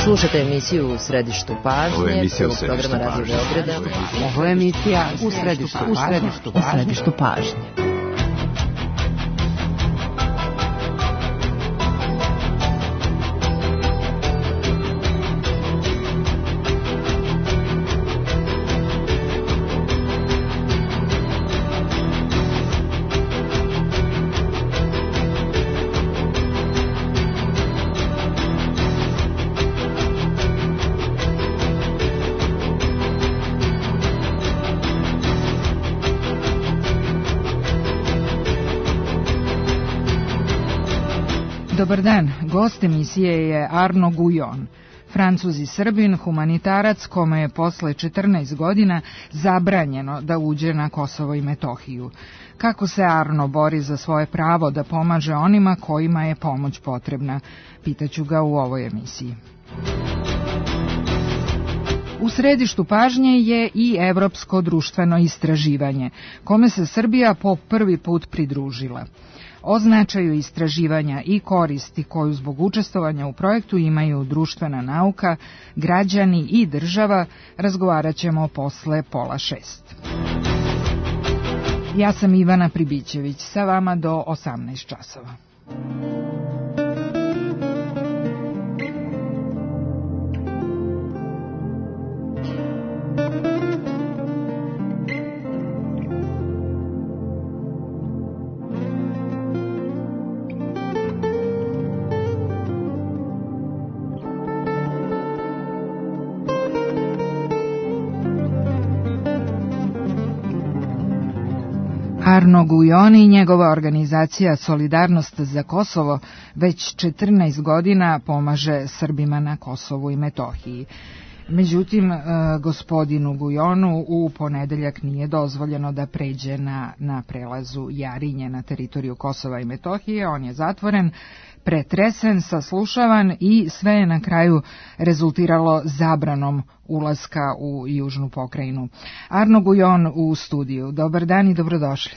Slušate emisiju U središtu pažnje, prvog programa Radio Beograda. Ovo je emisija U središtu pažnje. Dobar dan, gost emisije je Arno Gujon, Francuz i Srbin, humanitarac kome je posle 14 godina zabranjeno da uđe na Kosovo i Metohiju. Kako se Arno bori za svoje pravo da pomaže onima kojima je pomoć potrebna, pitaću ga u ovoj emisiji. U središtu pažnje je i evropsko društveno istraživanje, kome se Srbija po prvi put pridružila. O značaju istraživanja i koristi koju zbog učestvovanja u projektu imaju društvena nauka, građani i država razgovarat ćemo posle 5:30. Ja sam Ivana Pribićević, sa vama do 18 časova. Arno Gujon i njegova organizacija Solidarnost za Kosovo već 14 godina pomaže Srbima na Kosovu i Metohiji. Međutim, gospodinu Gujonu u ponedeljak nije dozvoljeno da pređe na prelazu Jarinje na teritoriju Kosova i Metohije. On je zatvoren, pretresen, saslušavan i sve je na kraju rezultiralo zabranom ulaska u južnu pokrajinu. Arno Gujon u studiju. Dobar dan i dobrodošli.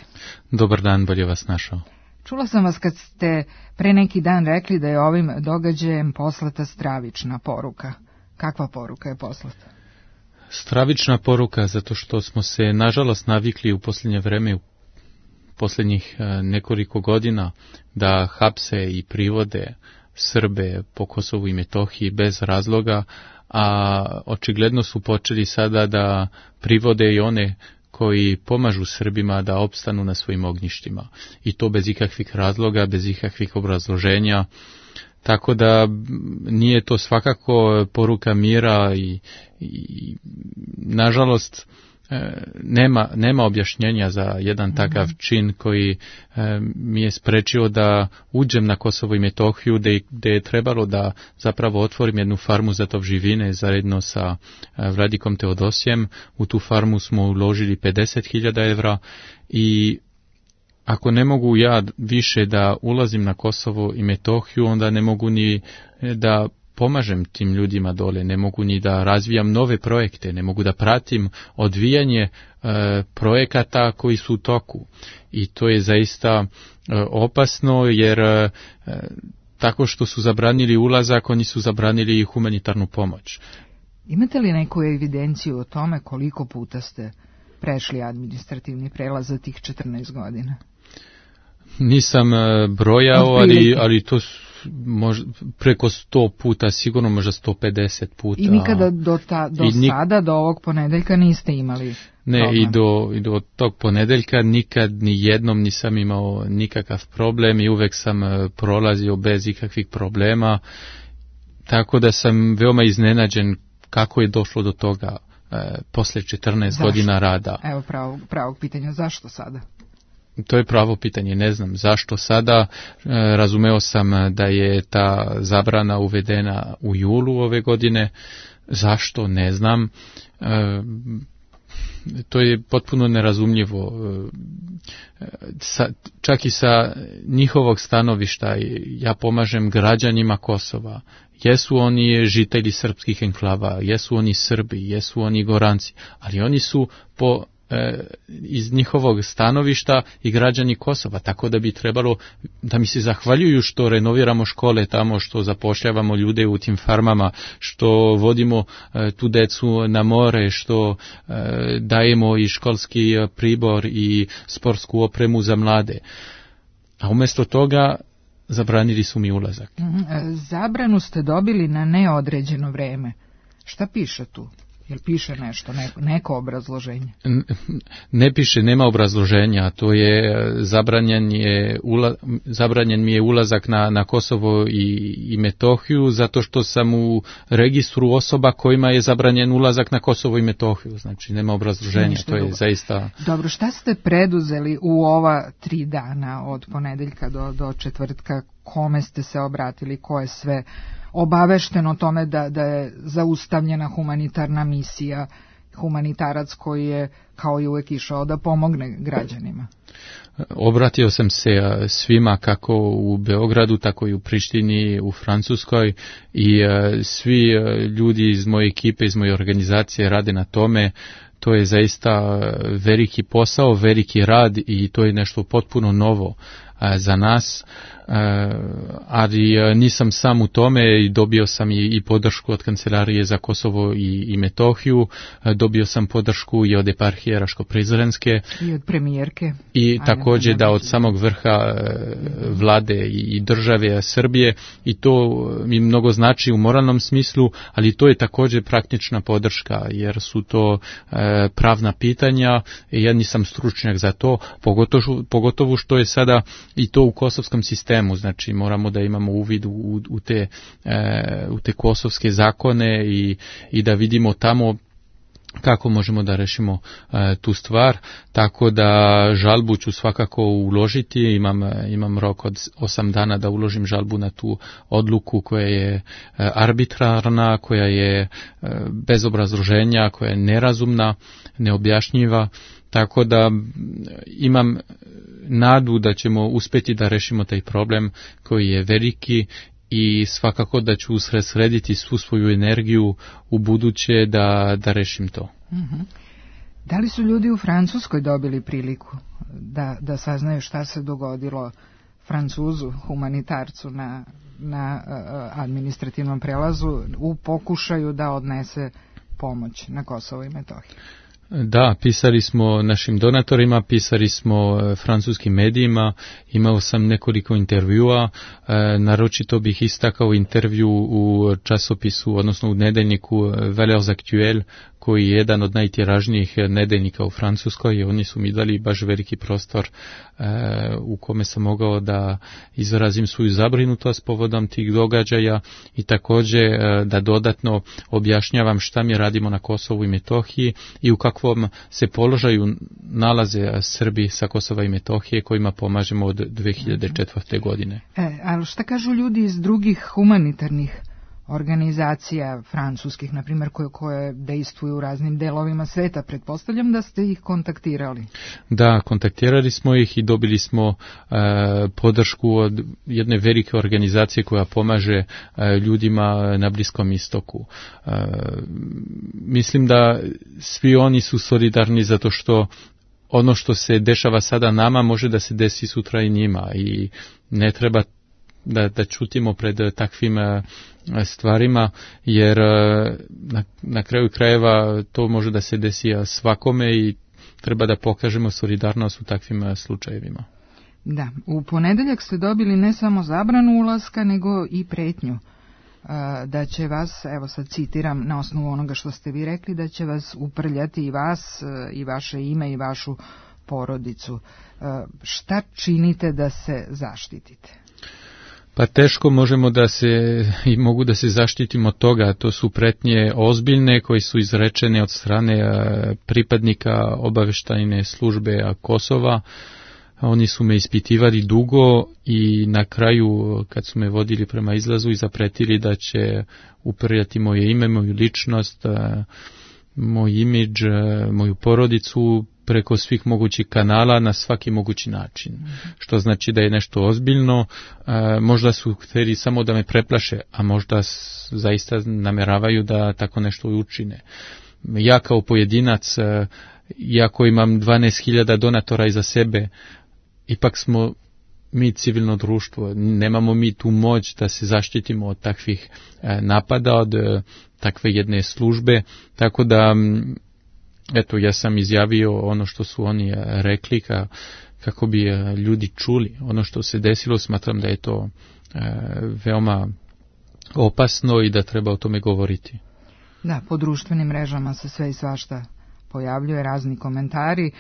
Dobar dan, bolje vas našao. Čula sam vas kad ste pre neki dan rekli da je ovim događajem poslata stravična poruka. Kakva poruka je poslata? Stravična poruka, zato što smo se nažalost navikli u posljednje vreme, u posljednjih nekoliko godina, da hapse i privode Srbe po Kosovu i Metohiji bez razloga, a očigledno su počeli sada da privode i one koji pomažu Srbima da opstanu na svojim ognjištima. I to bez ikakvih razloga, bez ikakvih obrazloženja. Tako da nije to svakako poruka mira i nažalost nema objašnjenja za jedan takav čin koji mi je sprečio da uđem na Kosovo i Metohiju, gdje je trebalo da zapravo otvorim jednu farmu za tovživine zajedno sa Vladikom Teodosijem. U tu farmu smo uložili 50.000 evra i ako ne mogu ja više da ulazim na Kosovo i Metohiju, onda ne mogu ni da pomažem tim ljudima dole, ne mogu ni da razvijam nove projekte, ne mogu da pratim odvijanje projekata koji su u toku. I to je zaista opasno, jer tako što su zabranili ulazak, oni su zabranili i humanitarnu pomoć. Imate li neku evidenciju o tome koliko puta ste prešli administrativni prelaz za tih 14 godina? Nisam brojao, ali to preko 100 puta, sigurno možda 150 puta. I nikada sada, do ovog ponedeljka niste imali Ne, problem? i do tog ponedeljka nikad ni jednom nisam imao nikakav problem i uvek sam prolazio bez ikakvih problema, tako da sam veoma iznenađen kako je došlo do toga posle 14 godina rada. Evo pravog pitanja, zašto sada? To je pravo pitanje, ne znam zašto sada. Razumeo sam da je ta zabrana uvedena u julu ove godine. Zašto, ne znam. To je potpuno nerazumljivo. Čak i sa njihovog stanovišta ja pomažem građanima Kosova. Jesu oni žitelji srpskih enklava, jesu oni Srbi, jesu oni Goranci, ali oni su po iz njihovog stanovišta i građani Kosova, tako da bi trebalo da mi se zahvaljuju što renoviramo škole tamo, što zapošljavamo ljude u tim farmama, što vodimo tu decu na more, što dajemo i školski pribor i sportsku opremu za mlade. A umjesto toga zabranili su mi ulazak. Zabranu ste dobili na neodređeno vreme. Šta piše tu? Jel piše nešto, neko obrazloženje? Ne piše, nema obrazloženja. To je zabranjen mi je ulazak na Kosovo i Metohiju zato što sam u registru osoba kojima je zabranjen ulazak na Kosovo i Metohiju. Znači nema obrazloženja, to je zaista... Dobro, šta ste preduzeli u ova 3 dana od ponedeljka do četvrtka? Kome ste se obratili, ko je sve obavešteno o tome da je zaustavljena humanitarna misija, humanitarac koji je kao i uvek išao da pomogne građanima? Obratio sam se svima kako u Beogradu, tako i u Prištini, u Francuskoj i svi ljudi iz moje ekipe, iz moje organizacije rade na tome. To je zaista veliki posao, veliki rad i to je nešto potpuno novo za nas, ali nisam sam u tome i dobio sam i podršku od Kancelarije za Kosovo i Metohiju, dobio sam podršku i od eparhije Raško-Prizrenske i od premijerke i također da od samog vrha vlade i države Srbije i to mi mnogo znači u moralnom smislu, ali to je također praktična podrška jer su to pravna pitanja i ja nisam stručnjak za to, pogotovo što je sada i to u kosovskom sistemu, znači moramo da imamo uvid u te kosovske zakone i da vidimo tamo kako možemo da rešimo tu stvar, tako da žalbu ću svakako uložiti, imam rok od 8 dana da uložim žalbu na tu odluku koja je arbitrarna, koja je bez obrazloženja, koja je nerazumna, neobjašnjiva, tako da imam nadu da ćemo uspjeti da rešimo taj problem koji je veliki i svakako da ću usredsrediti svu svoju energiju u buduće da rešim to. Mm-hmm. Da li su ljudi u Francuskoj dobili priliku da saznaju šta se dogodilo Francuzu, humanitarcu na administrativnom prelazu u pokušaju da odnese pomoć na Kosovo i Metohiju? Da, pisali smo našim donatorima, pisali smo francuskim medijima, imao sam nekoliko intervjua, naročito bih istakao intervju u časopisu, odnosno u nedeljniku Valeurs Actuelles, koji je jedan od najtiražnijih nedeljnika u Francuskoj i oni su mi dali baš veliki prostor u kome sam mogao da izrazim svoju zabrinutost povodom tih događaja i također da dodatno objašnjavam šta mi radimo na Kosovu i Metohiji i u kakvom se položaju nalaze Srbi sa Kosova i Metohije kojima pomažemo od 2004. godine. Ali šta kažu ljudi iz drugih humanitarnih organizacija francuskih, na primjer, koje dejstvuju u raznim delovima sveta? Pretpostavljam da ste ih kontaktirali. Da, kontaktirali smo ih i dobili smo podršku od jedne velike organizacije koja pomaže ljudima na Bliskom istoku. Mislim da svi oni su solidarni zato što ono što se dešava sada nama može da se desi sutra i njima i ne treba da čutimo pred takvim stvarima, jer na kraju krajeva to može da se desi svakome i treba da pokažemo solidarnost u takvim slučajevima. Da, u ponedeljak ste dobili ne samo zabranu ulaska, nego i pretnju da će vas, evo sad citiram na osnovu onoga što ste vi rekli, da će vas uprljati i vas, i vaše ime, i vašu porodicu. Šta činite da se zaštitite? Pa teško možemo i mogu da se zaštitimo od toga. To su pretnje ozbiljne koje su izrečene od strane pripadnika obaveštajne službe Kosova. Oni su me ispitivali dugo i na kraju kad su me vodili prema izlazu i zapretili da će uprljati moje ime, moju ličnost, moj imidž, moju porodicu preko svih mogućih kanala na svaki mogući način. Što znači da je nešto ozbiljno, možda su htjeli samo da me preplaše, a možda zaista nameravaju da tako nešto učine. Ja kao pojedinac iako imam 12.000 donatora iza sebe, ipak smo mi civilno društvo, nemamo mi tu moć da se zaštitimo od takvih napada, od takve jedne službe, tako da eto, ja sam izjavio ono što su oni rekli kako bi ljudi čuli. Ono što se desilo, smatram da je to veoma opasno i da treba o tome govoriti. Da, po društvenim mrežama se sve i svašta pojavljuje, razni komentari.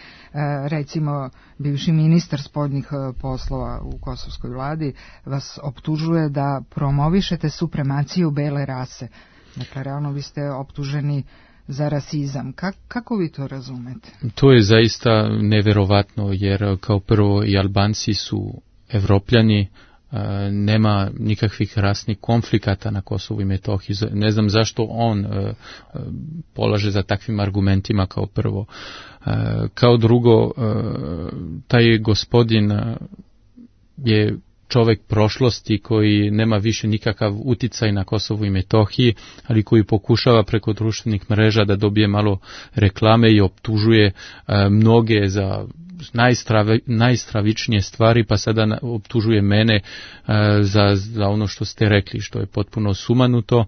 Recimo, bivši ministar spoljnih poslova u kosovskoj vladi vas optužuje da promovišete supremaciju bele rase. Dakle, realno vi ste optuženi za rasizam. Kako vi to razumete? To je zaista neverovatno, jer kao prvo i Albanci su Evropljani, nema nikakvih rasnih konflikata na Kosovu i Metohiji. Ne znam zašto on polaže za takvim argumentima kao prvo. Kao drugo, taj gospodin je čovjek prošlosti koji nema više nikakav uticaj na Kosovu i Metohiji, ali koji pokušava preko društvenih mreža da dobije malo reklame i optužuje mnoge za najstravičnije stvari, pa sada optužuje mene za ono što ste rekli, što je potpuno sumanuto.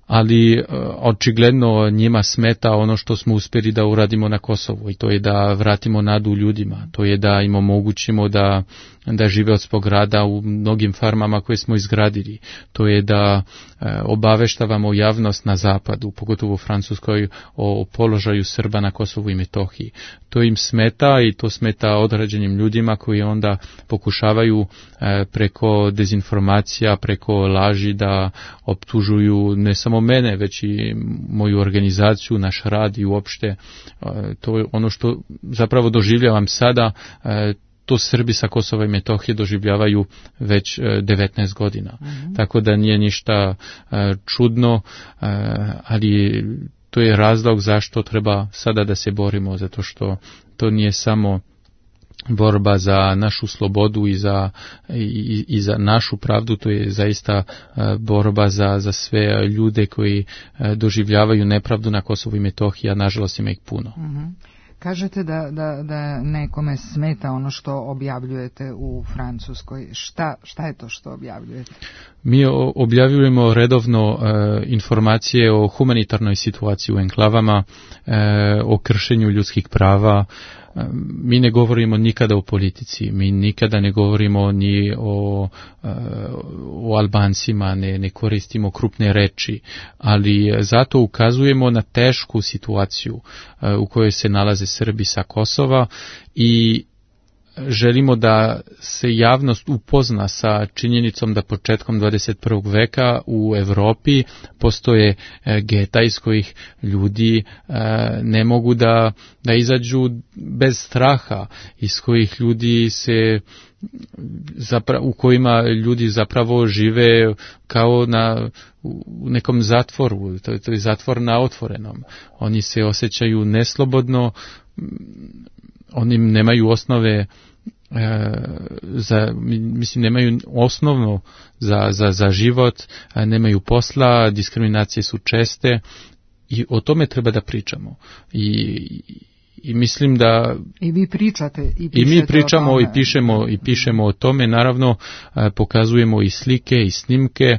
Ali očigledno njima smeta ono što smo uspjeli da uradimo na Kosovu, i to je da vratimo nadu ljudima, to je da im omogućimo da žive od svog rada u mnogim farmama koje smo izgradili, to je da obaveštavamo javnost na zapadu, pogotovo u Francuskoj, o položaju Srba na Kosovu i Metohiji. To im smeta i to smeta određenim ljudima koji onda pokušavaju preko dezinformacija, preko laži da optužuju ne samo mene, već i moju organizaciju, naš rad i uopšte. To je ono što zapravo doživljavam sada. To Srbi sa Kosova i Metohije doživljavaju već 19 godina. Mm-hmm. Tako da nije ništa čudno, ali to je razlog zašto treba sada da se borimo, zato što to nije samo borba za našu slobodu i za našu pravdu, to je zaista borba za sve ljude koji doživljavaju nepravdu na Kosovu i Metohiji, a nažalost ima ih puno. Mm-hmm. Kažete da nekome smeta ono što objavljujete u Francuskoj. Šta je to što objavljujete? Mi objavljujemo redovno informacije o humanitarnoj situaciji u enklavama, o kršenju ljudskih prava. Mi ne govorimo nikada o politici, mi nikada ne govorimo ni o Albancima, ne koristimo krupne reči, ali zato ukazujemo na tešku situaciju u kojoj se nalaze Srbi sa Kosova i želimo da se javnost upozna sa činjenicom da početkom 21. veka u Evropi postoje geta iz kojih ljudi ne mogu da izađu bez straha, iz kojih ljudi u kojima ljudi zapravo žive kao u nekom zatvoru, to je zatvor na otvorenom. Oni se osjećaju neslobodno, oni nemaju osnove nemaju osnovno za život, nemaju posla, diskriminacije su česte i o tome treba da pričamo. I mislim da i vi pričate i mi pričamo i pišemo o tome, naravno pokazujemo i slike i snimke,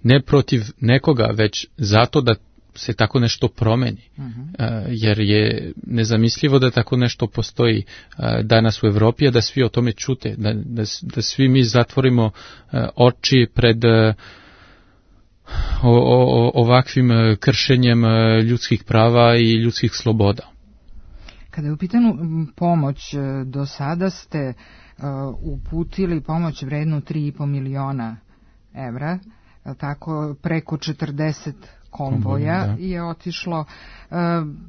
ne protiv nekoga, već zato da se tako nešto promeni, jer je nezamislivo da tako nešto postoji danas u Evropi, a da svi o tome čute, da svi mi zatvorimo oči pred ovakvim kršenjem ljudskih prava i ljudskih sloboda. Kada je u pitanju pomoć, do sada ste uputili pomoć vrednu 3,5 miliona evra, tako preko 40 konvoja je otišlo,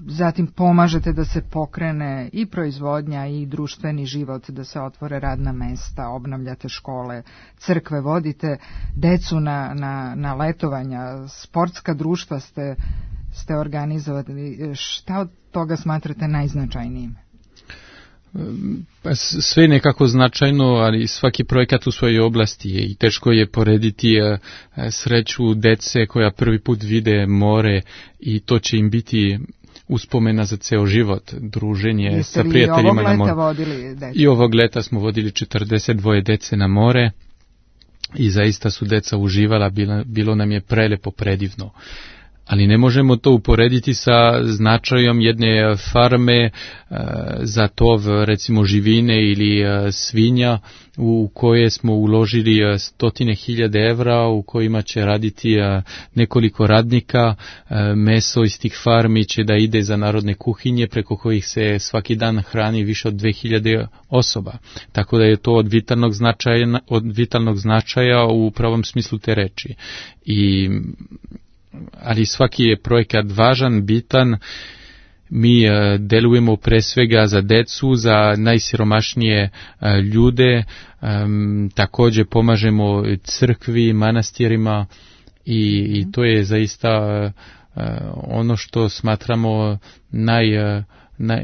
zatim pomažete da se pokrene i proizvodnja i društveni život, da se otvore radna mesta, obnavljate škole, crkve, vodite decu na letovanja, sportska društva ste organizovali. Šta od toga smatrate najznačajnijim? Sve nekako značajno, ali svaki projekat u svojoj oblasti je i teško je porediti sreću dece koja prvi put vide more i to će im biti uspomena za ceo život, druženje Jeste sa prijateljima na more. I ovog leta smo vodili 42 dece na more i zaista su deca uživala, bilo nam je prelepo, predivno. Ali ne možemo to uporediti sa značajom jedne farme za tov, recimo živine ili svinja, u koje smo uložili 100.000 evra, u kojima će raditi nekoliko radnika. Meso iz tih farmi će da ide za narodne kuhinje, preko kojih se svaki dan hrani više od 2000 osoba. Tako da je to od vitalnog značaja u pravom smislu te reči. Ali svaki je projekat važan, bitan. Mi delujemo pre svega za decu, za najsiromašnije ljude, također pomažemo crkvi, manastirima i to je zaista ono što smatramo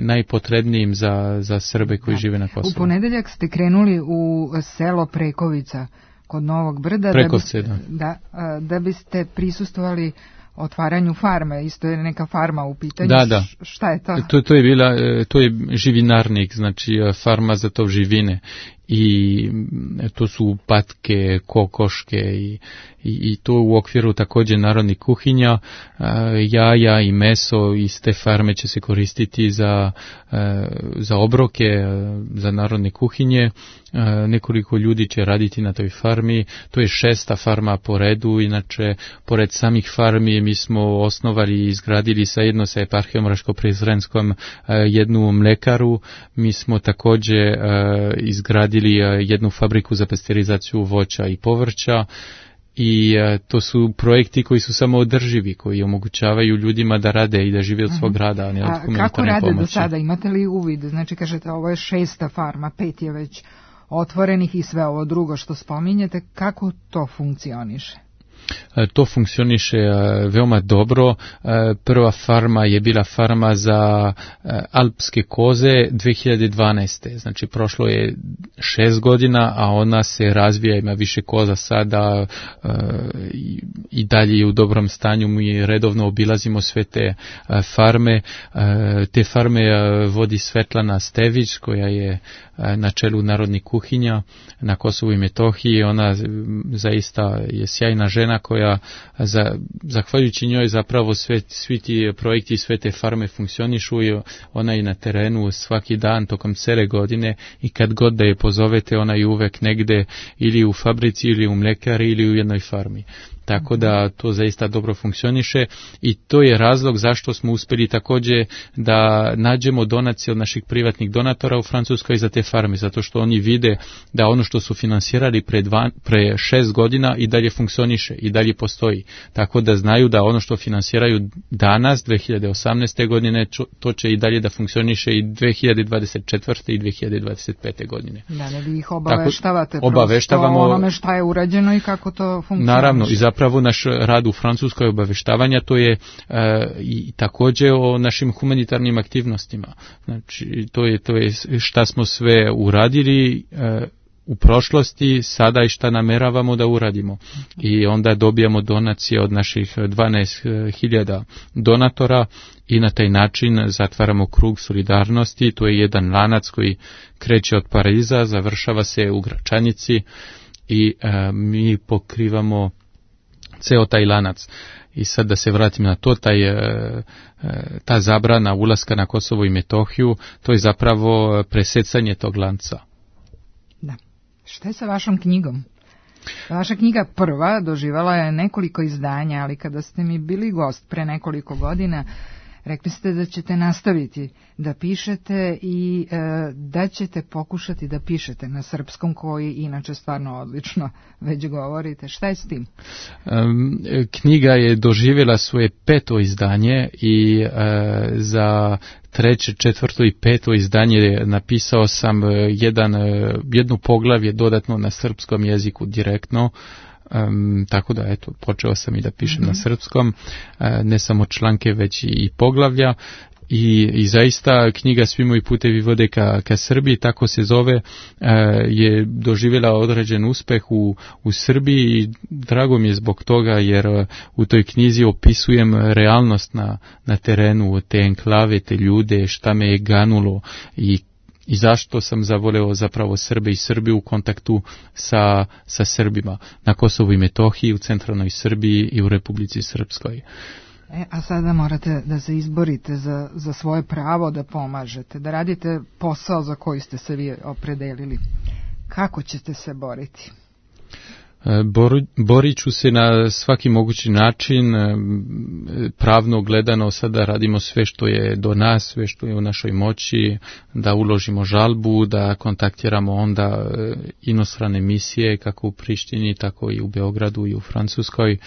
najpotrebnijim za Srbe koji žive na Kosovu. U ponedeljak ste krenuli u selo Prekovica kod Novog Brda da biste prisustvovali otvaranju farme. Isto je neka farma u pitanju. Da. Šta je to? To je živinarnik, znači farma za tov živine. I to su patke, kokoške i to u okviru također narodnih kuhinja. Jaja i meso iz te farme će se koristiti za obroke, za narodne kuhinje. Nekoliko ljudi će raditi na toj farmi. To je 6. farma po redu. Inače, pored samih farmi mi smo osnovali i izgradili zajedno sa eparhijom Raško-Prizrenskom jednu mlekaru. Mi smo također izgradili jednu fabriku za pasterizaciju voća i povrća i to su projekti koji su samo održivi, koji omogućavaju ljudima da rade i da žive od svog rada, a ne od humanitarne pomoći. Kako rade do sada? Imate li uvid? Znači, kažete, ovo je 6. farma, 5 je već otvorenih i sve ovo drugo što spominjete. Kako to funkcioniše? To funkcioniše veoma dobro. Prva farma je bila farma za alpske koze 2012. Znači prošlo je 6 godina, a ona se razvija, ima više koza sada i dalje je u dobrom stanju. Mi redovno obilazimo sve te farme. Te farme vodi Svetlana Stević, koja je na čelu narodnih kuhinja na Kosovu i Metohiji. Ona zaista je sjajna žena koja zahvaljujući njoj zapravo svi ti projekti i sve te farme funkcionišu i ona je na terenu svaki dan tokom cele godine i kad god da je pozovete ona je uvek negde ili u fabrici ili u mlekari ili u jednoj farmi. Tako da to zaista dobro funkcioniše i to je razlog zašto smo uspjeli također da nađemo donacije od naših privatnih donatora u Francuskoj za te farme, zato što oni vide da ono što su finansirali pre 6 godina i dalje funkcioniše i dalje postoji. Tako da znaju da ono što finansiraju danas, 2018. godine, to će i dalje da funkcioniše i 2024. i 2025. godine. Da, ne vi ih obaveštavate obaveštavamo o onome šta je urađeno i kako to funkcioniše. Naravno, i zapravo naš rad u Francuskoj obaveštavanja, to je i također o našim humanitarnim aktivnostima. Znači, to je šta smo sve uradili u prošlosti, sada i šta nameravamo da uradimo. I onda dobijamo donacije od naših 12.000 donatora i na taj način zatvaramo krug solidarnosti. To je jedan lanac koji kreće od Pariza, završava se u Gračanici i mi pokrivamo ceo taj lanac. I sad da se vratim na to, ta zabrana ulaska na Kosovo i Metohiju, to je zapravo presecanje tog lanca. Da. Šta je sa vašom knjigom? Vaša knjiga prva doživala je nekoliko izdanja, ali kada ste mi bili gost pre nekoliko godina, rekli ste da ćete nastaviti da pišete i da ćete pokušati da pišete na srpskom, koji inače stvarno odlično već govorite. Šta je s tim? Knjiga je doživjela svoje 5. izdanje i za 3., 4. i 5. izdanje napisao sam jedno poglavlje dodatno na srpskom jeziku direktno. Tako da počeo sam i da pišem na srpskom, ne samo članke već i poglavlja i zaista knjiga Svi moji putevi vode ka Srbiji, tako se zove, je doživjela određen uspeh u Srbiji i drago mi je zbog toga jer u toj knjizi opisujem realnost na terenu, te enklave, te ljude, šta me je ganulo i zašto sam zavoleo zapravo Srbe i Srbiju u kontaktu sa Srbima na Kosovu i Metohiji, u centralnoj Srbiji i u Republici Srpskoj. A sada morate da se izborite za svoje pravo da pomažete, da radite posao za koji ste se vi opredelili. Kako ćete se boriti? Borit ću se na svaki mogući način, pravno gledano sada radimo sve što je do nas, sve što je u našoj moći, da uložimo žalbu, da kontaktiramo onda inostrane misije kako u Prištini, tako i u Beogradu i u Francuskoj.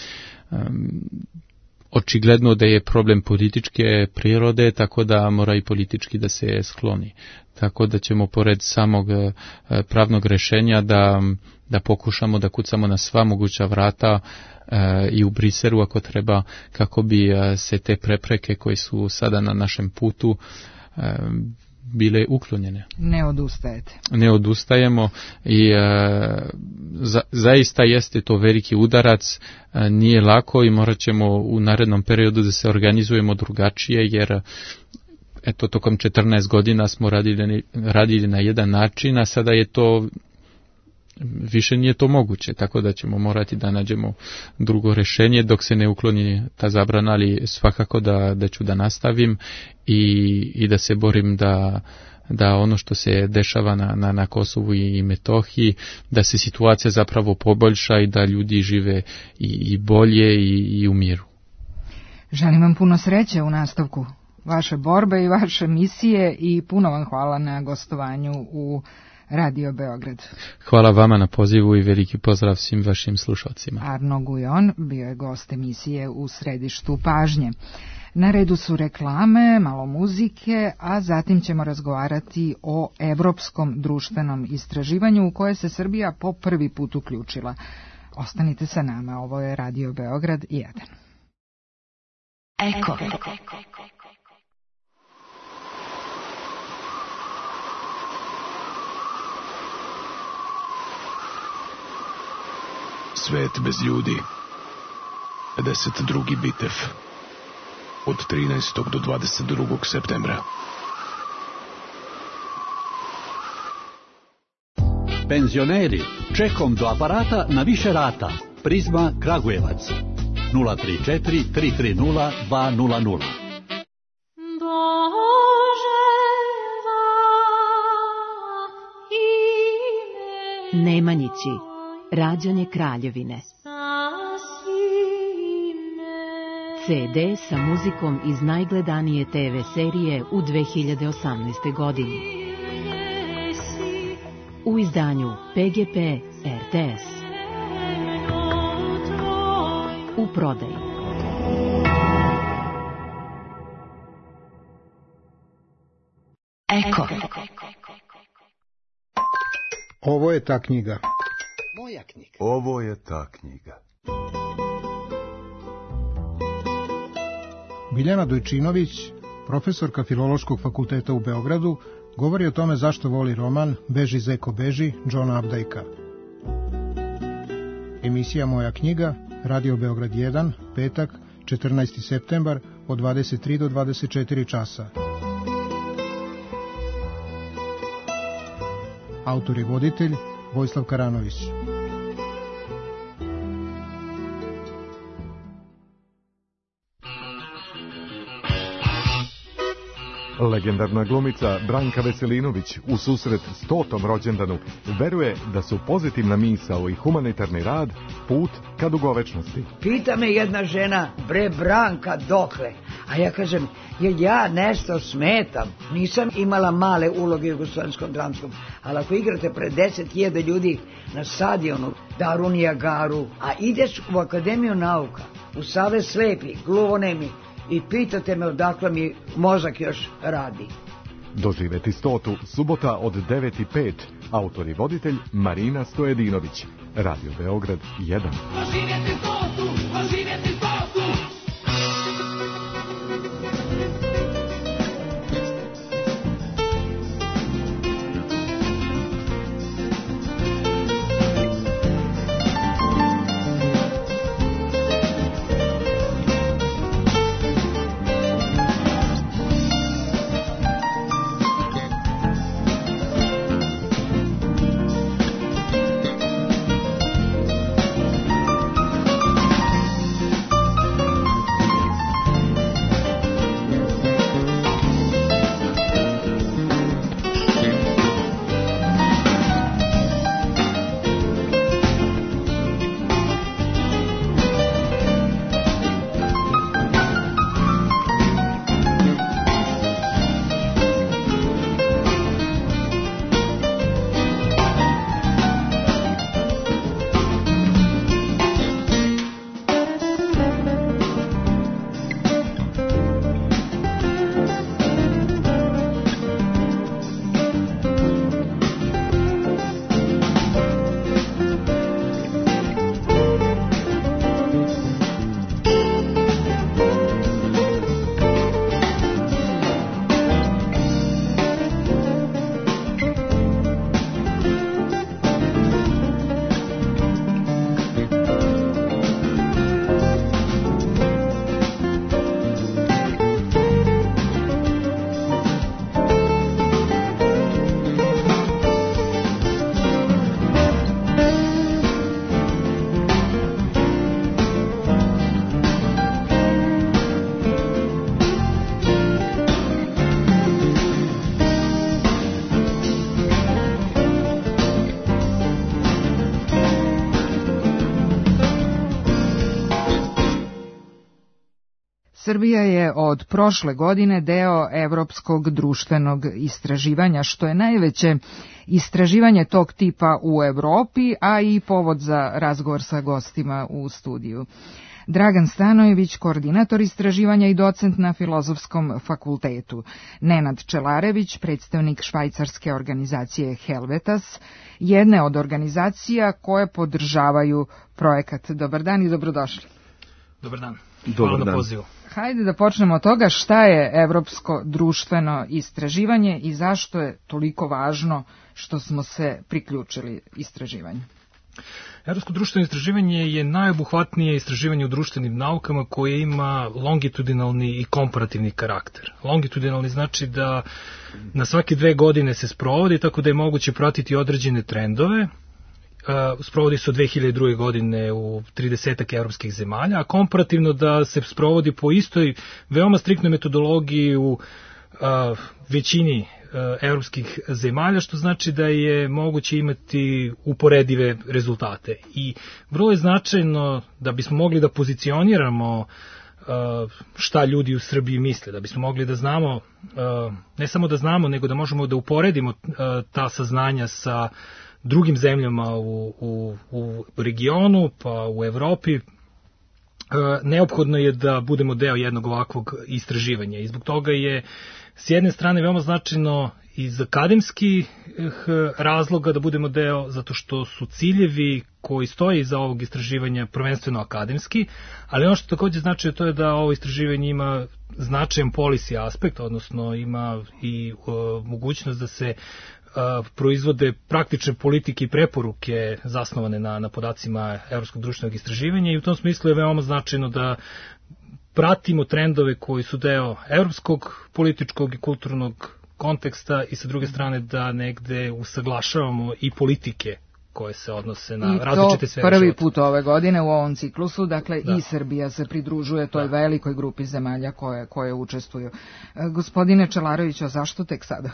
Očigledno da je problem političke prirode, tako da mora i politički da se skloni. Tako da ćemo pored samog pravnog rješenja da pokušamo da kucamo na sva moguća vrata i u Briselu ako treba, kako bi se te prepreke koje su sada na našem putu bile uklonjene. Ne odustajete. Ne odustajemo i zaista jeste to veliki udarac, nije lako i morat ćemo u narednom periodu da se organizujemo drugačije, jer eto, tokom 14 godina smo radili na jedan način, a sada je to više nije to moguće, tako da ćemo morati da nađemo drugo rješenje dok se ne ukloni ta zabrana, ali svakako da ću da nastavim i da se borim da ono što se dešava na Kosovu i Metohiji, da se situacija zapravo poboljša i da ljudi žive i bolje i u miru. Želim vam puno sreće u nastavku vaše borbe i vaše misije i puno vam hvala na gostovanju u Radio Beograd. Hvala vama na pozivu i veliki pozdrav svim vašim slušalcima. Arno Gujon bio je gost emisije U središtu pažnje. Na redu su reklame, malo muzike, a zatim ćemo razgovarati o evropskom društvenom istraživanju u koje se Srbija po prvi put uključila. Ostanite sa nama, ovo je Radio Beograd 1. Eko. Svet bez ljudi. 52. bitev. Od 13. do 22. septembra. Penzioneri, čekom do aparata na više rata. Prizma Kragujevac. 034 330 200. Nemanjići, rađanje Kraljevine. CD sa muzikom iz najgledanije TV serije u 2018. godini. U izdanju PGP RTS. U prodaji. Eko. Ovo je ta knjiga. Moja knjiga. Ovo je ta knjiga. Biljana Dojčinović, profesorka Filološkog fakulteta u Beogradu, govori o tome zašto voli roman Beži Zeko beži, Džona Updike'a. Emisija Moja knjiga, Radio Beograd 1, petak, 14. septembar, od 23 do 24 časa. Autor i voditelj Vojislav Karanović. Legendarna glumica Branka Veselinović u susret 100. rođendanu veruje da su pozitivna misao i humanitarni rad put ka dugovečnosti. Pita me jedna žena, bre Branka, dokle? A ja kažem, jer ja nešto smetam. Nisam imala male uloge u Jugoslovenskom dramskom, ali ako igrate pred 10.000 ljudi na stadionu Darunija Garu, a ideš u Akademiju nauka, u Savez slepih, gluvonemi, i pitate me odakle mi mozak još radi. Doživeti 100. subota od 9:05. Autor i voditelj Marina Stojedinović. Radio Beograd 1. Doživjeti 100. Srbija je od prošle godine deo Evropskog društvenog istraživanja, što je najveće istraživanje tog tipa u Evropi, a i povod za razgovor sa gostima u studiju. Dragan Stanojević, koordinator istraživanja i docent na Filozofskom fakultetu. Nenad Čelarević, predstavnik švajcarske organizacije Helvetas, jedne od organizacija koje podržavaju projekat. Dobar dan i dobrodošli. Dobar dan. Hvala na pozivu. Hajde da počnemo od toga šta je Evropsko društveno istraživanje i zašto je toliko važno što smo se priključili istraživanju. Evropsko društveno istraživanje je najobuhvatnije istraživanje u društvenim naukama koje ima longitudinalni i komparativni karakter. Longitudinalni znači da na svake 2 godine se sprovodi, tako da je moguće pratiti određene trendove. Sprovodi se od 2002. godine u 30 evropskih zemalja, a komparativno da se sprovodi po istoj veoma striktnoj metodologiji u većini evropskih zemalja, što znači da je moguće imati uporedive rezultate. I vrlo je značajno da bismo mogli da pozicioniramo šta ljudi u Srbiji misle, da bismo mogli da znamo, ne samo da znamo, nego da možemo da uporedimo ta saznanja sa drugim zemljama u regionu, pa u Evropi. Neophodno je da budemo deo jednog ovakvog istraživanja i zbog toga je s jedne strane veoma značajno iz akademskih razloga da budemo deo, zato što su ciljevi koji stoje iza ovog istraživanja prvenstveno akademski, ali ono što takođe znači to je da ovo istraživanje ima značajan policy aspekt, odnosno ima i mogućnost da se proizvode praktične politike i preporuke zasnovane na podacima Evropskog društvenog istraživanja i u tom smislu je veoma značajno da pratimo trendove koji su deo evropskog političkog i kulturnog konteksta i sa druge strane da negde usaglašavamo i politike koje se odnose na različite sfere života. I to prvi put ove godine u ovom ciklusu, dakle da. I Srbija se pridružuje toj velikoj grupi zemalja koje učestvuju. Gospodine Čelaroviću, a zašto tek sada?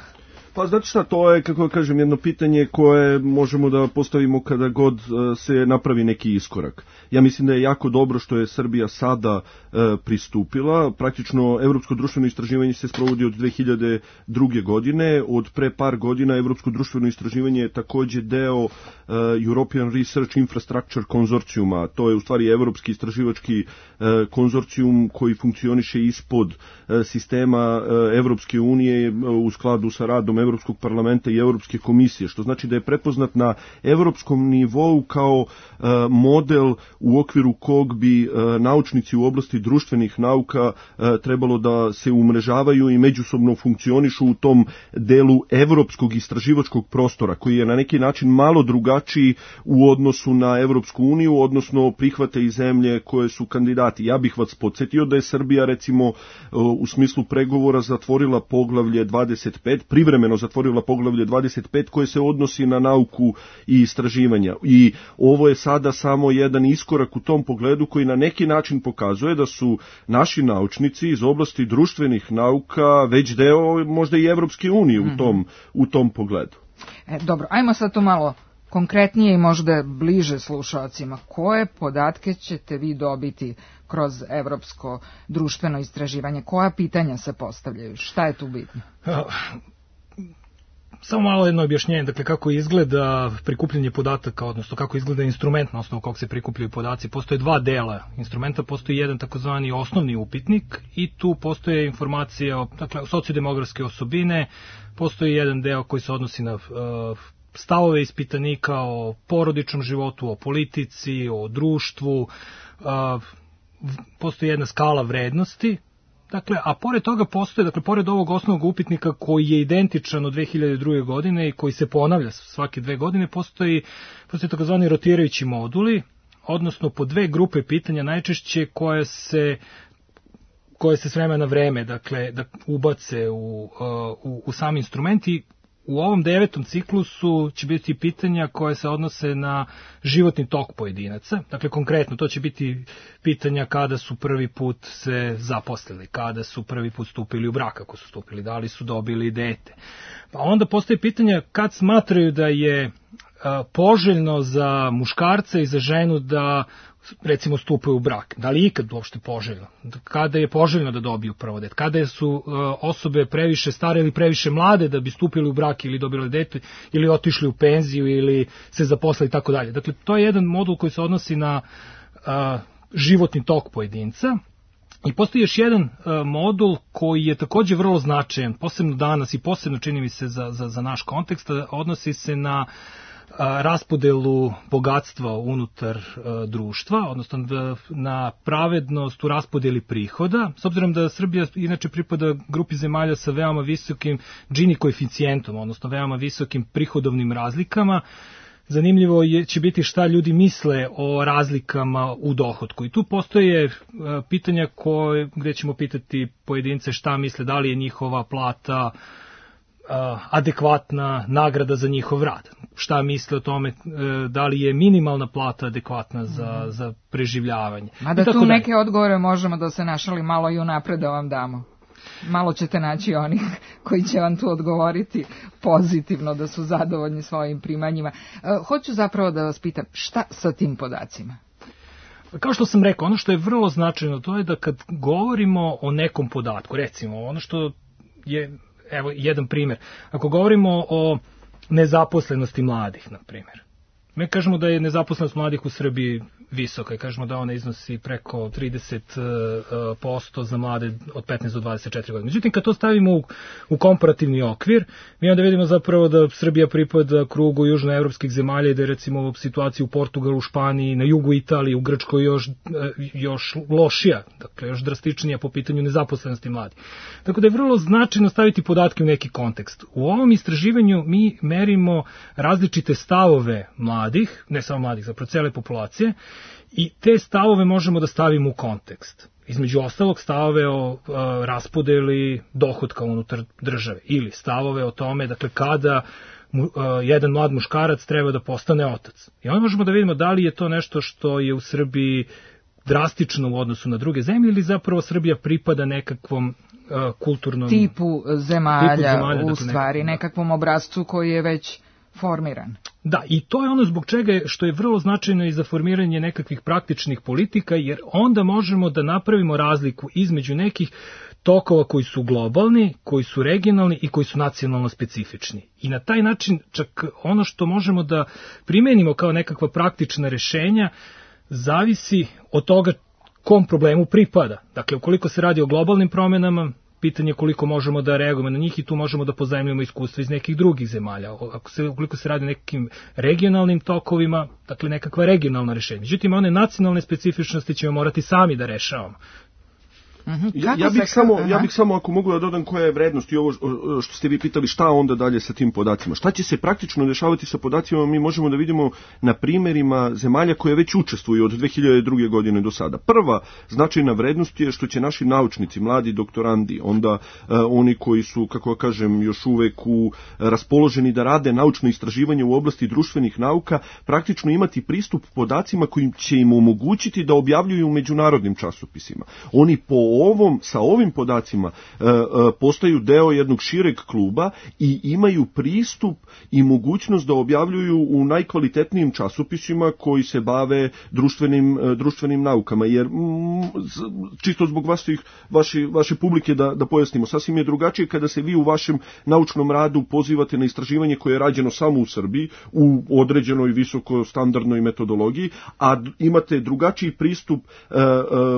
Pa znate šta, to je, kako kažem, jedno pitanje koje možemo da postavimo kada god se napravi neki iskorak. Ja mislim da je jako dobro što je Srbija sada pristupila. Praktično, Evropsko društveno istraživanje se sprovodi od 2002. godine. Od pre par godina Evropsko društveno istraživanje je takođe deo European Research Infrastructure konzorcijuma. To je u stvari evropski istraživački konzorcijum koji funkcioniše ispod sistema Evropske unije u skladu sa radom Evropskog parlamenta i Evropske komisije, što znači da je prepoznat na evropskom nivou kao model u okviru kog bi naučnici u oblasti društvenih nauka trebalo da se umrežavaju i međusobno funkcionišu u tom delu evropskog istraživačkog prostora, koji je na neki način malo drugačiji u odnosu na Evropsku uniju, odnosno prihvate i zemlje koje su kandidati. Ja bih vas podsjetio da je Srbija, recimo, u smislu pregovora zatvorila poglavlje 25, privremeno zatvorila poglavlje 25 koje se odnosi na nauku i istraživanja. I ovo je sada samo jedan iskorak u tom pogledu koji na neki način pokazuje da su naši naučnici iz oblasti društvenih nauka već deo možda i Evropske unije u tom pogledu. Dobro, ajmo sad to malo konkretnije i možda bliže slušalcima. Koje podatke ćete vi dobiti kroz Evropsko društveno istraživanje? Koja pitanja se postavljaju? Šta je tu bitno? Samo malo jedno objašnjenje, dakle kako izgleda prikupljanje podataka, odnosno kako izgleda instrument na osnovu kog se prikupljaju podaci. Postoje 2 dela instrumenta, postoji jedan takozvani osnovni upitnik i tu postoje informacije o sociodemografske osobine, postoji jedan deo koji se odnosi na stavove ispitanika o porodičnom životu, o politici, o društvu, postoji jedna skala vrednosti. Dakle, a pored toga postoje, dakle, pored ovog osnovnog upitnika koji je identičan od 2002. godine i koji se ponavlja svake 2 godine, postoji takozvani rotirajući moduli, odnosno po 2 grupe pitanja najčešće koje se s vremena na vreme, dakle, da ubace u sam instrument i u ovom 9. ciklusu će biti pitanja koje se odnose na životni tok pojedinaca. Dakle, konkretno, to će biti pitanja kada su prvi put se zaposlili, kada su prvi put stupili u brak, ako su stupili, da li su dobili dete. Pa onda postoje pitanja kad smatraju da je poželjno za muškarca i za ženu da recimo stupaju u brak. Da li ikad uopšte poželjno? Kada je poželjno da dobiju prvo dete? Kada su osobe previše stare ili previše mlade da bi stupili u brak ili dobili dete ili otišli u penziju ili se zaposlili i tako dalje. Dakle, to je jedan modul koji se odnosi na životni tok pojedinca. I postoji još jedan modul koji je takođe vrlo značajan, posebno danas i posebno čini mi se za naš kontekst, odnosi se na raspodelu bogatstva unutar društva, odnosno na pravednost u raspodeli prihoda, s obzirom da Srbija inače pripada grupi zemalja sa veoma visokim Gini koeficijentom, odnosno veoma visokim prihodovnim razlikama. Zanimljivo će biti šta ljudi misle o razlikama u dohotku. I tu postoje pitanja gde ćemo pitati pojedince šta misle, da li je njihova plata adekvatna nagrada za njihov rad. Šta misle o tome, da li je minimalna plata adekvatna za preživljavanje. Mada tu neke odgovore možemo da se našali malo i unapred da vam damo. Malo ćete naći onih koji će vam tu odgovoriti pozitivno, da su zadovoljni svojim primanjima. Hoću zapravo da vas pitam, šta sa tim podacima? Kao što sam rekao, ono što je vrlo značajno, to je da kad govorimo o nekom podatku, recimo ono što je, evo jedan primjer, ako govorimo o nezaposlenosti mladih, na primjer, mi kažemo da je nezaposlenost mladih u Srbiji visoka i kažemo da ona iznosi preko 30% za mlade od 15 do 24 godine. Međutim, kad to stavimo u komparativni okvir, mi onda vidimo zapravo da Srbija pripada krugu južnoevropskih zemalja i da je recimo situacija u Portugalu, u Španiji, na jugu Italiji, u Grčkoj još lošija, dakle još drastičnija po pitanju nezaposlenosti mladih. Tako da je vrlo značajno staviti podatke u neki kontekst. U ovom istraživanju mi merimo različite stavove mladih, ne samo mladih, zapravo cele populacije, i te stavove možemo da stavimo u kontekst. Između ostalog stavove o raspodeli dohotka unutar države ili stavove o tome, dakle, kada jedan mlad muškarac treba da postane otac. I onda možemo da vidimo da li je to nešto što je u Srbiji drastično u odnosu na druge zemlje ili zapravo Srbija pripada nekakvom kulturnom tipu zemalja u stvari, nekakvom obrazcu koji je već formiran. Da, i to je ono zbog čega što je vrlo značajno i za formiranje nekakvih praktičnih politika, jer onda možemo da napravimo razliku između nekih tokova koji su globalni, koji su regionalni i koji su nacionalno specifični. I na taj način čak ono što možemo da primenimo kao nekakva praktična rešenja zavisi od toga kom problemu pripada. Dakle, ukoliko se radi o globalnim promenama, pitanje koliko možemo da reagujemo na njih i tu možemo da pozajmljamo iskustva iz nekih drugih zemalja. Ukoliko se radi o nekim regionalnim tokovima, dakle nekakva regionalna rešenja. Međutim, one nacionalne specifičnosti ćemo morati sami da rešavamo. Ja bih samo, ako mogu da dodam koja je vrednost i ovo što ste vi pitali, šta onda dalje sa tim podacima. Šta će se praktično dešavati sa podacima, mi možemo da vidimo na primjerima zemalja koje već učestvuju od 2002. godine do sada. Prva značajna vrednost je što će naši naučnici, mladi doktorandi, onda oni koji su, kako kažem, još uvek raspoloženi da rade naučno istraživanje u oblasti društvenih nauka, praktično imati pristup podacima koji će im omogućiti da objavljuju u međunarodnim časopisima. Oni sa ovim podacima postaju deo jednog šireg kluba i imaju pristup i mogućnost da objavljuju u najkvalitetnijim časopisima koji se bave društvenim naukama. Jer, čisto zbog vaše publike da pojasnimo, sasvim je drugačije kada se vi u vašem naučnom radu pozivate na istraživanje koje je rađeno samo u Srbiji, u određenoj visokostandardnoj metodologiji, a imate drugačiji pristup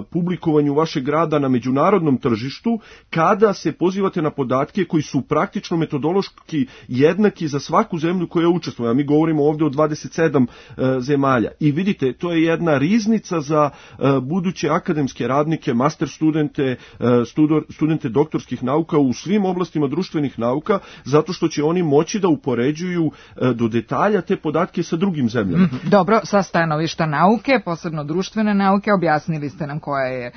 publikovanju vašeg rada na međunarodnom tržištu, kada se pozivate na podatke koji su praktično metodološki jednaki za svaku zemlju koja učestvuje. A mi govorimo ovdje o 27 zemalja. I vidite, to je jedna riznica za buduće akademske radnike, master studente doktorskih nauka u svim oblastima društvenih nauka, zato što će oni moći da upoređuju do detalja te podatke sa drugim zemljama. Dobro, sa stanovišta nauke, posebno društvene nauke, objasnili ste nam koja je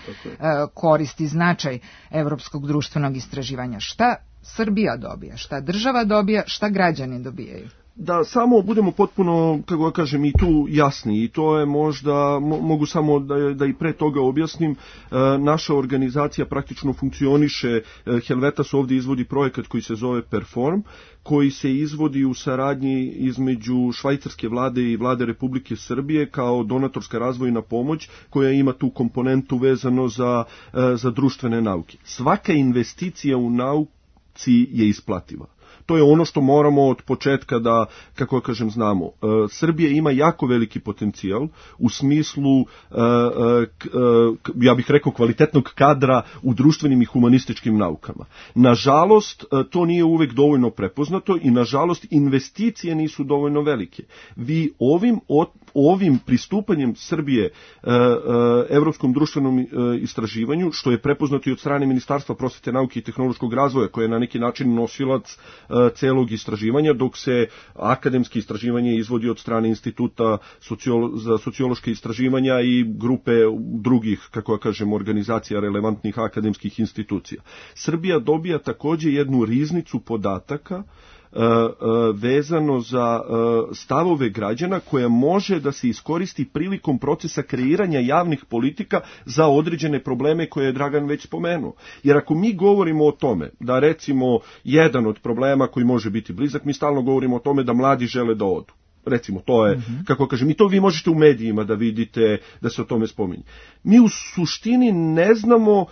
korist i značaj evropskog društvenog istraživanja. Šta Srbija dobija, šta država dobija, šta građani dobijaju? Da samo budemo potpuno, kako ja kažem, i tu jasni, i to je možda, mogu samo da i pre toga objasnim, naša organizacija praktično funkcioniše, Helvetas ovdje izvodi projekat koji se zove Perform, koji se izvodi u saradnji između švajcarske vlade i vlade Republike Srbije kao donatorska razvojna pomoć koja ima tu komponentu vezano za društvene nauke. Svaka investicija u nauci je isplativa. To je ono što moramo od početka da, kako kažem, znamo. Srbija ima jako veliki potencijal u smislu, ja bih rekao, kvalitetnog kadra u društvenim i humanističkim naukama. Nažalost, to nije uvek dovoljno prepoznato i nažalost investicije nisu dovoljno velike. Vi ovim pristupanjem Srbije Evropskom društvenom istraživanju, što je prepoznato i od strane Ministarstva prosvete, nauke i tehnološkog razvoja, koje je na neki način nosilac celog istraživanja, dok se akademski istraživanje izvodi od strane Instituta za sociološke istraživanja i grupe drugih, kako ja kažem, organizacija relevantnih akademskih institucija. Srbija dobija također jednu riznicu podataka vezano za stavove građana koja može da se iskoristi prilikom procesa kreiranja javnih politika za određene probleme koje je Dragan već spomenuo. Jer ako mi govorimo o tome da recimo jedan od problema koji može biti blizak, mi stalno govorimo o tome da mladi žele da odu. Recimo, to je, kako kažem, i to vi možete u medijima da vidite da se o tome spominje. Mi u suštini ne znamo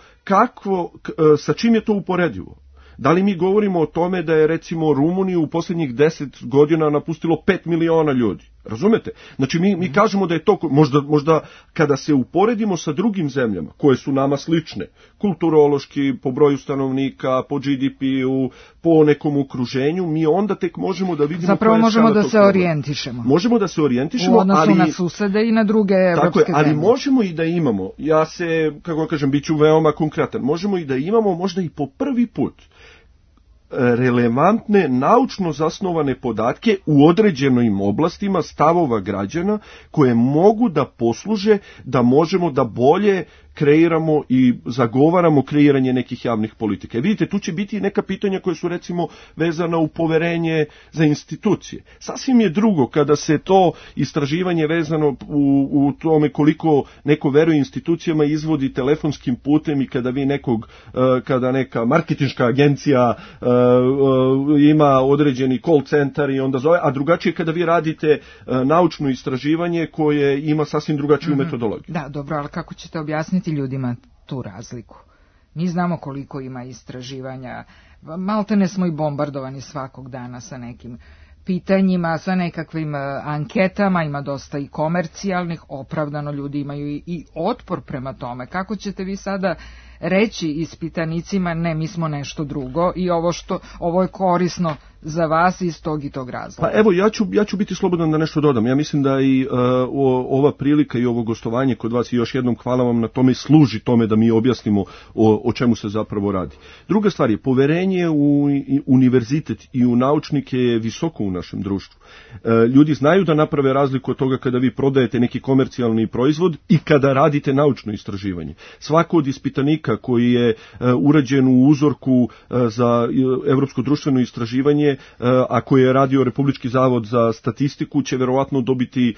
sa čim je to uporedivo. Da li mi govorimo o tome da je recimo Rumuniju u posljednjih 10 godina napustilo 5 miliona ljudi? Razumete? Znači mi kažemo da je to, možda kada se uporedimo sa drugim zemljama koje su nama slične, kulturološki, po broju stanovnika, po GDP-u, po nekom okruženju, mi onda tek možemo da vidimo... Zapravo možemo da se orijentišemo. Možemo da se orijentišemo, u odnosu na susede i na druge evropske zemlje. Ali možemo i da imamo, ja se, kako kažem, bit ću veoma konkretan, možemo i da imamo možda i po prvi put relevantne, naučno zasnovane podatke u određenim oblastima stavova građana koje mogu da posluže da možemo da bolje kreiramo i zagovaramo kreiranje nekih javnih politika. I vidite, tu će biti neka pitanja koje su recimo vezana u poverenje za institucije. Sasvim je drugo kada se to istraživanje vezano u tome koliko neko veruje institucijama izvodi telefonskim putem i kada vi kada neka marketinška agencija ima određeni call centar i onda zove, a drugačije kada vi radite naučno istraživanje koje ima sasvim drugačiju metodologiju. Da, dobro, ali kako ćete objasniti ljudima tu razliku? Mi znamo koliko ima istraživanja, maltene smo i bombardovani svakog dana sa nekim pitanjima, sa nekakvim anketama, ima dosta i komercijalnih, opravdano ljudi imaju i otpor prema tome. Kako ćete vi sada reći ispitanicima, ne, mi smo nešto drugo i ovo je korisno za vas iz tog i tog razloga? Pa evo, ja ću biti slobodan da nešto dodam. Ja mislim da i ova prilika i ovo gostovanje kod vas, i još jednom hvala vam na tome, služi tome da mi objasnimo o čemu se zapravo radi. Druga stvar je, poverenje u univerzitet i u naučnike je visoko u našem društvu. Ljudi znaju da naprave razliku od toga kada vi prodajete neki komercijalni proizvod i kada radite naučno istraživanje. Svako od ispitanika koji je urađen u uzorku za Evropsko društveno istraživanje, a koje je radio Republički zavod za statistiku, će verovatno dobiti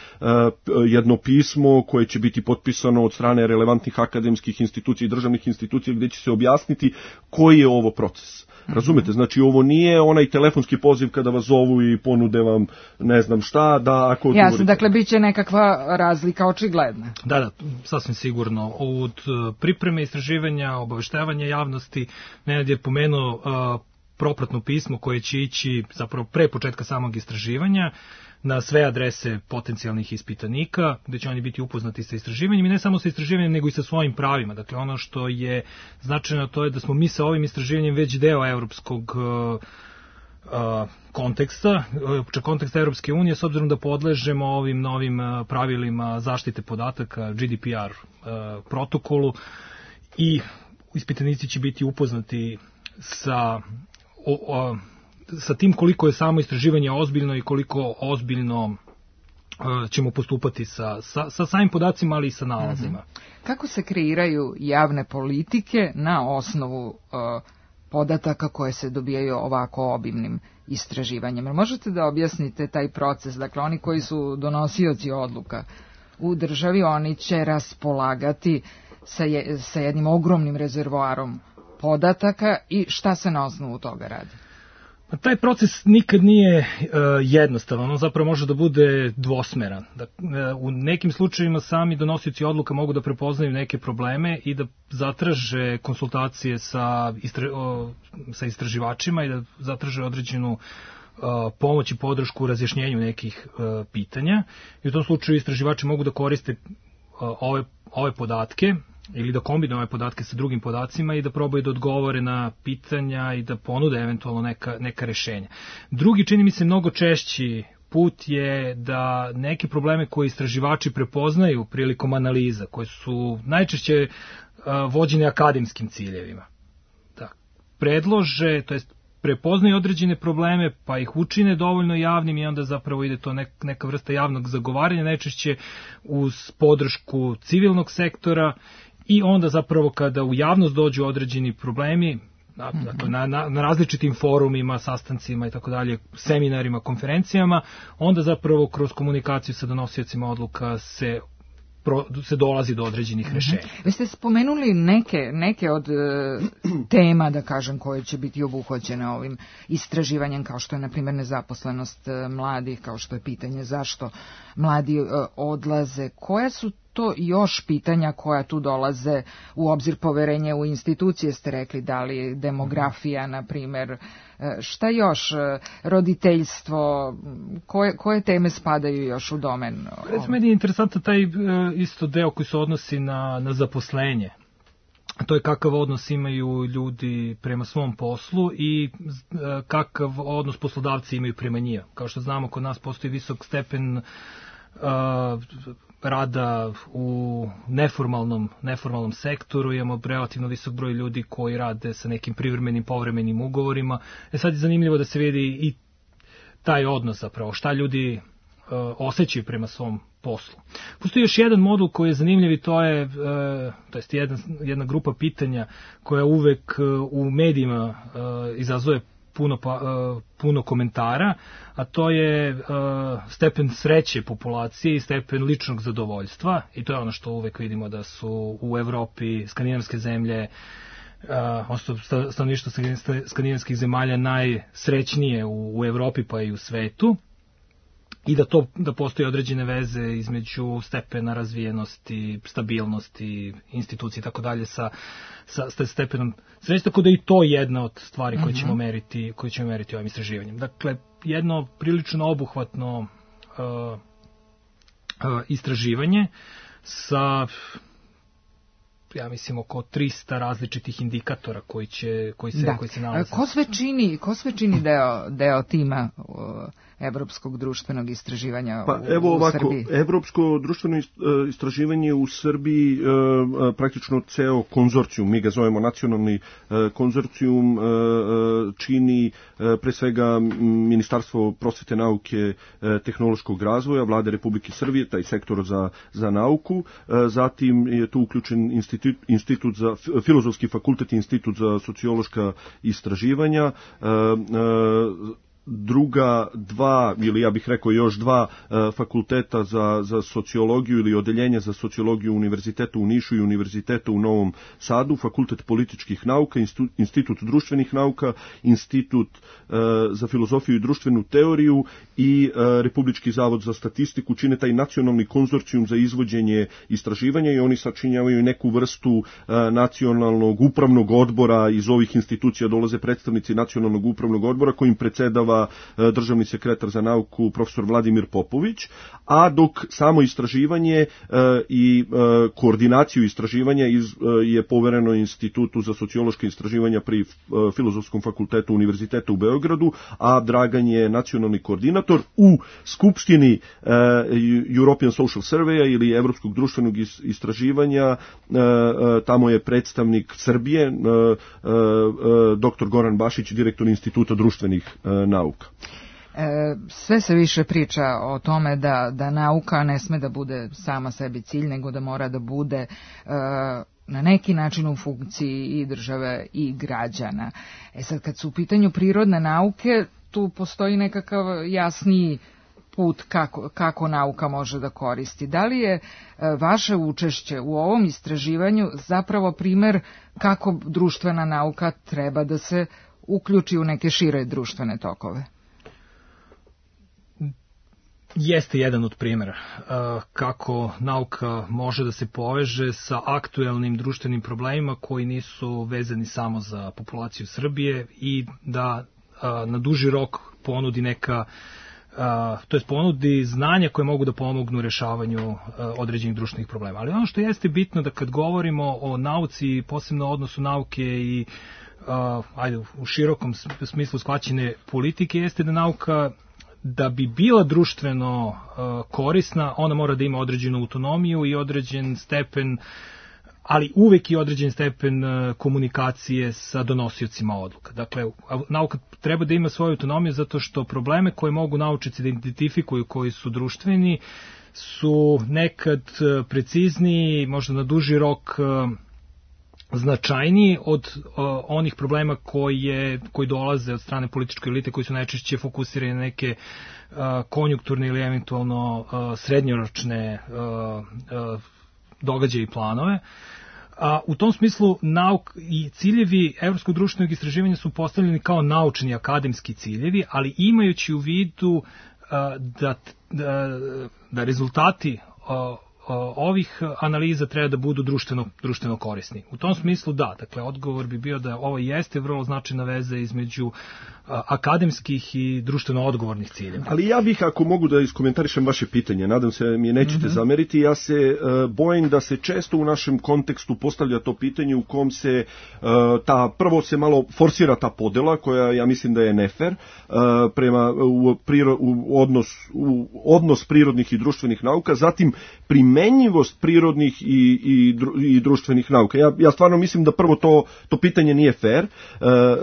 jedno pismo koje će biti potpisano od strane relevantnih akademskih institucija i državnih institucija gdje će se objasniti koji je ovo proces. Razumete, znači ovo nije onaj telefonski poziv kada vas zovu i ponude vam ne znam šta, da ako odgovorite. Jasno, dakle bit će nekakva razlika očigledna. Da, sasvim sigurno. Od pripreme istraživanja, obaveštavanja javnosti, Nenad je pomenuo propratno pismo koje će ići zapravo pre početka samog istraživanja na sve adrese potencijalnih ispitanika, gde će oni biti upoznati sa istraživanjem i ne samo sa istraživanjem, nego i sa svojim pravima. Dakle, ono što je značajno to je da smo mi sa ovim istraživanjem već deo evropskog konteksta, konteksta Evropske unije, s obzirom da podležemo ovim novim pravilima zaštite podataka, GDPR protokolu, i ispitanici će biti upoznati sa tim koliko je samo istraživanje ozbiljno i koliko ozbiljno ćemo postupati sa samim podacima, ali i sa nalazima. Kako se kreiraju javne politike na osnovu podataka koje se dobijaju ovako obimnim istraživanjem. Možete da objasnite taj proces? Dakle, oni koji su donosioci odluka u državi, oni će raspolagati sa jednim ogromnim rezervoarom podataka i šta se na osnovu toga radi? Taj proces nikad nije jednostavan, on zapravo može da bude dvosmeran. U nekim slučajevima sami donosioci odluka mogu da prepoznaju neke probleme i da zatraže konsultacije sa istraživačima i da zatraže određenu pomoć i podršku u razjašnjenju nekih pitanja. I u tom slučaju istraživači mogu da koriste ove podatke ili da kombinuju ove podatke sa drugim podacima i da probaju da odgovore na pitanja i da ponude eventualno neka rešenja. Drugi, čini mi se, mnogo češći put je da neke probleme koje istraživači prepoznaju prilikom analiza, koje su najčešće vođene akademskim ciljevima, da predlože, to jest prepoznaju određene probleme, pa ih učine dovoljno javnim i onda zapravo ide to neka vrsta javnog zagovaranja, najčešće uz podršku civilnog sektora i onda zapravo kada u javnost dođu određeni problemi, na različitim forumima, sastancima i tako dalje, seminarima, konferencijama, onda zapravo kroz komunikaciju sa donosiocima odluka se dolazi do određenih rešenja. Vi ste spomenuli neke od tema, da kažem, koje će biti obuhvaćene ovim istraživanjem, kao što je, na primjer, nezaposlenost mladih, kao što je pitanje zašto mladi odlaze. Koja su to još pitanja koja tu dolaze u obzir? Poverenje u institucije, ste rekli, da li demografija, na primjer, šta još, roditeljstvo, koje teme spadaju još u domen? Recimo, meni je interesantan taj isto deo koji se odnosi na zaposlenje. To je kakav odnos imaju ljudi prema svom poslu i kakav odnos poslodavci imaju prema njima. Kao što znamo, kod nas postoji visok stepen rada u neformalnom sektoru, imamo relativno visok broj ljudi koji rade sa nekim privremenim, povremenim ugovorima. Sad je zanimljivo da se vidi i taj odnos zapravo, šta ljudi osjećaju prema svom poslu. Postoji još jedan modul koji je zanimljiv i to je jedna grupa pitanja koja uvek u medijima izazove puno komentara, a to je stepen sreće populacije i stepen ličnog zadovoljstva, i to je ono što uvek vidimo da su u Evropi skandinavske zemlje, stanovništvo skandinavskih zemalja najsrećnije u Evropi pa i u svetu, i da postoje određene veze između stepena razvijenosti, stabilnosti, institucije i tako dalje sa stepenom sreće, tako da i to je jedna od stvari koje ćemo meriti ovim istraživanjem. Dakle, jedno prilično obuhvatno istraživanje sa, ja mislim, oko 300 različitih indikatora koji se nalaze. Ko sve čini deo tima Evropskog društvenog istraživanja u Srbiji? Evropsko društveno istraživanje u Srbiji, praktično ceo konzorcijum, mi ga zovemo nacionalni konzorcijum, čini pre svega Ministarstvo prosvete, nauke, tehnološkog razvoja, Vlade Republike Srbije, taj sektor za nauku, zatim je tu uključen institut za Filozofski fakultet i institut za sociološka istraživanja, druga dva, ili ja bih rekao još dva fakulteta za sociologiju ili odeljenja za sociologiju Univerziteta u Nišu i Univerziteta u Novom Sadu, Fakultet političkih nauka, Institut društvenih nauka, Institut za filozofiju i društvenu teoriju i Republički zavod za statistiku čine taj nacionalni konzorcijum za izvođenje istraživanja i oni sačinjavaju neku vrstu nacionalnog upravnog odbora. Iz ovih institucija dolaze predstavnici nacionalnog upravnog odbora kojim predsjedava državni sekretar za nauku profesor Vladimir Popović, a dok samo istraživanje i koordinaciju istraživanja je povereno Institutu za sociološke istraživanja pri Filozofskom fakultetu Univerziteta u Beogradu, a Dragan je nacionalni koordinator. U Skupštini European Social Surveya ili Evropskog društvenog istraživanja tamo je predstavnik Srbije, dr. Goran Bašić, direktor Instituta društvenih nauka. Sve se više priča o tome da nauka ne sme da bude sama sebi cilj, nego da mora da bude na neki način u funkciji i države i građana. Sad, kad su u pitanju prirodne nauke, tu postoji nekakav jasniji put kako nauka može da koristi. Da li je vaše učešće u ovom istraživanju zapravo primer kako društvena nauka treba da se uključi u neke šire društvene tokove? Jeste jedan od primjera kako nauka može da se poveže sa aktuelnim društvenim problemima koji nisu vezani samo za populaciju Srbije i da na duži rok ponudi ponudi znanja koje mogu da pomognu u rešavanju određenih društvenih problema. Ali ono što jeste bitno da kad govorimo o nauci, posebno o odnosu nauke i u širokom smislu shvaćene politike, jeste da nauka, da bi bila društveno korisna, ona mora da ima određenu autonomiju i određen stepen, ali uvek i određen stepen komunikacije sa donosiocima odluka. Dakle, nauka treba da ima svoju autonomiju zato što probleme koje mogu naučnici da identifikuju, koji su društveni, su nekad precizniji, možda na duži rok značajniji od onih problema koji dolaze od strane političke elite, koji su najčešće fokusirani na neke konjunkturne ili eventualno srednjoročne događaje i planove. U tom smislu i ciljevi Evropskog društvenog istraživanja su postavljeni kao naučni akademski ciljevi, ali imajući u vidu da rezultati ovih analiza treba da budu društveno korisni. U tom smislu dakle, odgovor bi bio da ovo jeste vrlo značajna veza između akademskih i društveno odgovornih ciljeva. Ali ja bih, ako mogu da iskomentarišem vaše pitanje, nadam se mi je nećete zameriti, ja se bojim da se često u našem kontekstu postavlja to pitanje u kom se prvo se malo forsira ta podela, koja ja mislim da je nefer, prema odnos prirodnih i društvenih nauka, zatim primenjivost prirodnih i društvenih nauka. Ja stvarno mislim da prvo to pitanje nije fair,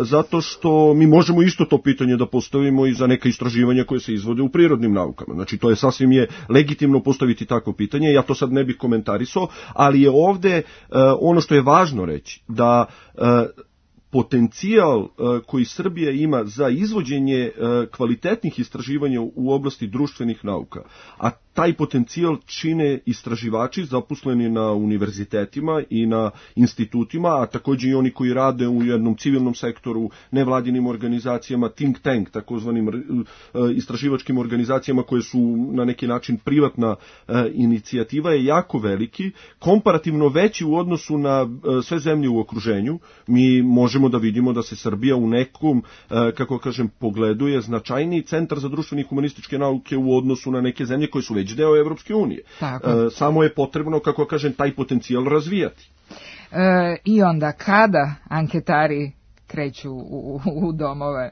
zato što mi možemo isto to pitanje da postavimo i za neka istraživanja koje se izvode u prirodnim naukama. Znači, to je sasvim legitimno postaviti takvo pitanje, ja to sad ne bih komentarisao, ali je ovde ono što je važno reći, da potencijal koji Srbija ima za izvođenje kvalitetnih istraživanja u oblasti društvenih nauka, a taj potencijal čine istraživači zaposleni na univerzitetima i na institutima, a također i oni koji rade u jednom civilnom sektoru, nevladinim organizacijama, think tank, takozvanim istraživačkim organizacijama koje su na neki način privatna inicijativa, je jako veliki, komparativno veći u odnosu na sve zemlje u okruženju. Mi možemo da vidimo da se Srbija u nekom, pogledu je značajniji centar za društvene i humanističke nauke u odnosu na neke zemlje koje su već deo Evropske unije. Samo je potrebno, taj potencijal razvijati. I onda kada anketari kreću u domove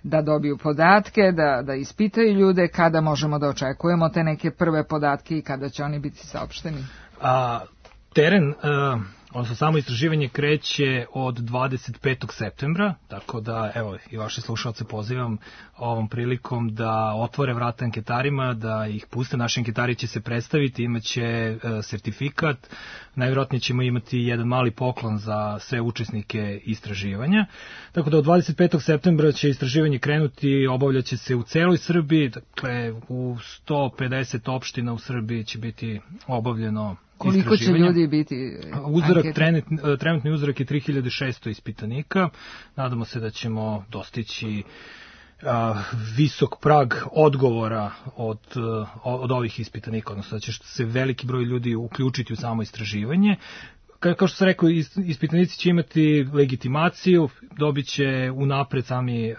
da dobiju podatke, da ispitaju ljude, kada možemo da očekujemo te neke prve podatke i kada će oni biti saopšteni? Teren, odnosno samo istraživanje kreće od 25. septembra, tako da evo i vaše slušalce pozivam ovom prilikom da otvore vrata anketarima, da ih puste. Naši anketari će se predstaviti, imaće sertifikat, najvjerojatnije ćemo imati jedan mali poklon za sve učesnike istraživanja. Tako da od 25. septembra će istraživanje krenuti, obavljaće se u celoj Srbiji, dakle u 150 opština u Srbiji će biti obavljeno. Koliko će ljudi biti? Trenutni uzorak je 3600 ispitanika. Nadamo se da ćemo dostići visok prag odgovora od ovih ispitanika, odnosno da će se veliki broj ljudi uključiti u samo istraživanje. Kao što sam rekao, ispitanici će imati legitimaciju, dobit će unapred sami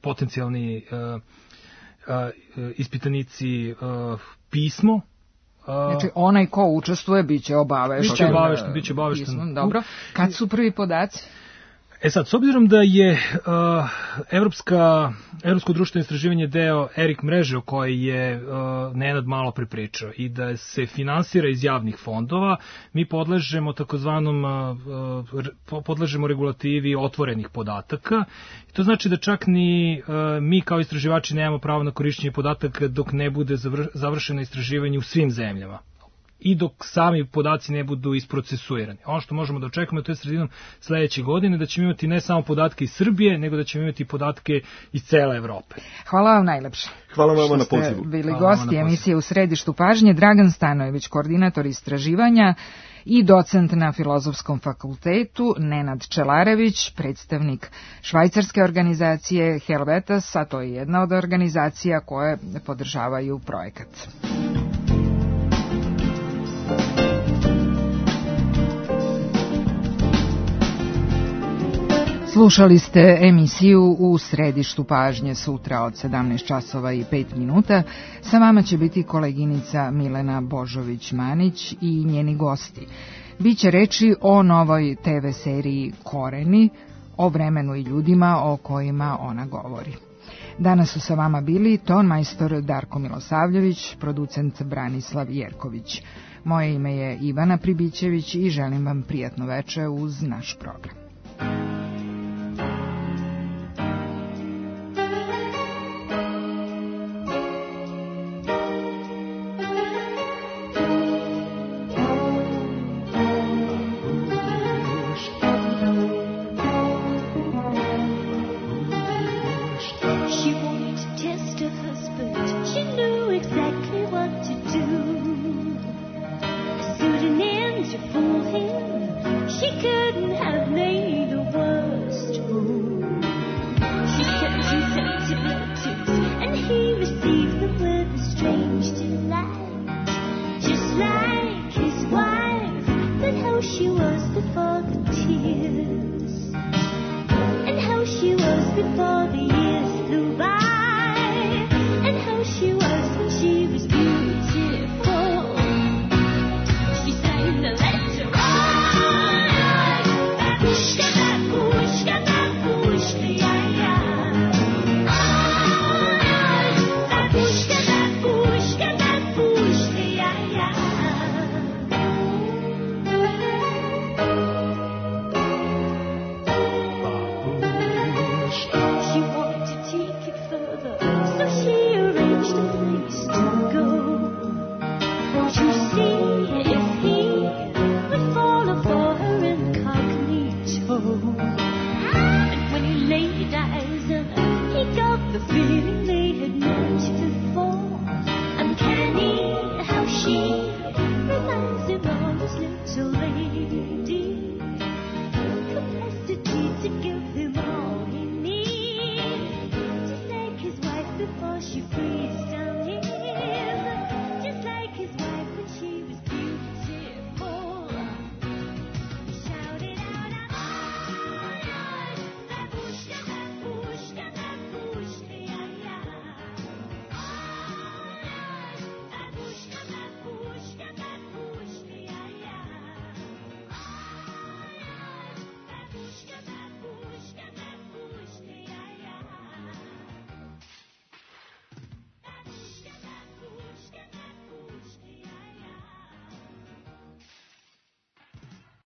potencijalni ispitanici pismo. Znači, onaj ko učestvuje biće obavešten. Biće obavešten. Dobro. Kad su prvi podaci? Sad, s obzirom da je Evropsko društveno istraživanje deo ERIC mreže o kojoj je Nenad malo prepričao i da se finansira iz javnih fondova, mi podležemo regulativi otvorenih podataka. I to znači da čak ni mi kao istraživači nemamo pravo na korišćenje podataka dok ne bude završeno istraživanje u svim zemljama. i dok sami podaci ne budu isprocesuirani. Ono što možemo da očekujemo, to je sredinom sledeće godine, da ćemo imati ne samo podatke iz Srbije, nego da ćemo imati podatke iz cele Evrope. Hvala vam najlepše. Hvala vam na pozivu. Što ste bili gosti emisije U središtu pažnje. Dragan Stanojević, koordinator istraživanja i docent na Filozofskom fakultetu, Nenad Čelarević, predstavnik švajcarske organizacije Helvetas, a to je jedna od organizacija koje podržavaju projekat. Slušali ste emisiju U središtu pažnje sutra od 17 časova i 5 minuta. Sa vama će biti koleginica Milena Božović-Manić i njeni gosti. Biće reči o novoj TV seriji Koreni, o vremenu i ljudima o kojima ona govori. Danas su sa vama bili tonmajstor Darko Milosavljević, producent Branislav Jerković. Moje ime je Ivana Pribićević i želim vam prijatno veče uz naš program. Before the